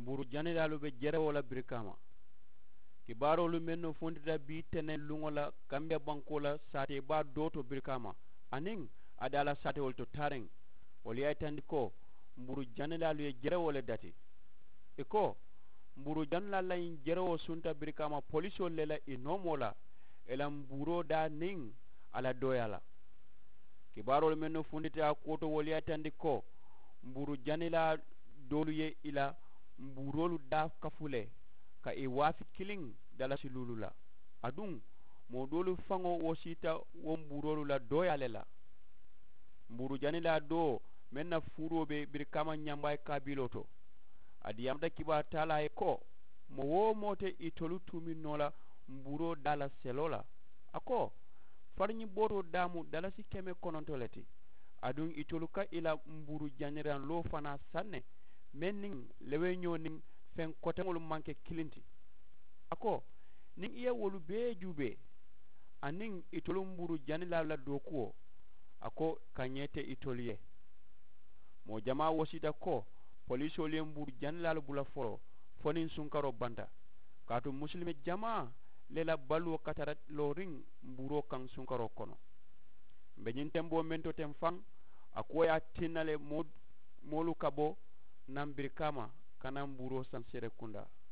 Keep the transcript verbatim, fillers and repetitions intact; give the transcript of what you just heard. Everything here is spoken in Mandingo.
Mbuuru janilaalu be jerewoo la birikaama. Kibaaroolu mennu funtita bii teneŋ luŋo la kambiya bankoo la saatee baa doo to birikaama, aniŋ a daa la saatewolu to taariŋ, wolu ye a yitandi ko mbuuru janilaalu ye jerewoo le dati. I ko mbuuru janilaalu la ñiŋ jerewoo sunta birikaama polisoolu le la i noomoo la, i la mbuuroo daa niŋ a la dooyaa la. Kibaaroolu mennu funtita a kuwo to wolu ye a yitandi ko mbuuru janilaa doolu ye i la mbuuroolu daa kafu le ka i waafi kiliŋ dalasi luulu la. Aduŋ moo doolu faŋo wosiita wo mbuuroolu la dooyaa le la. Mbuuru janilaa doo meŋ na fuuroo be birikaama ñambaayi kaabiloo to, a diyaamata kibaaru taalaa ye ko moo-wo-moo te itolu tuumiŋ noo la mbuuroo daa la seloo la. A ko fariñibootoo daa mu dalasi keme kononto le ti. Aduŋ itolu ka i la mbuuru janiraŋ loo fanaa saŋ ne meŋ niŋ leweñoo niŋ feŋ koteŋolu maŋ ke kiliŋ ti. A ko niŋ i ye wolu bee juubee aniŋ itolu mbuuru janilaalu la dookuwo, a ko ka ñee te itolu ye. Moo jamaa wosiita ko polisoolu ye mbuuru janilaalu bula foloo fo niŋ sunkaroo banta, kaatu musulime jamaa le la baluwo katara looriŋ mbuuroo kaŋ sunkaroo kono. M̀ be ñiŋ temboo meŋ to teŋ faŋ, a kuwo ye a tinna le moolu ka bo naŋ birikaama ka naŋ mbuuroo saŋ seerekundaa.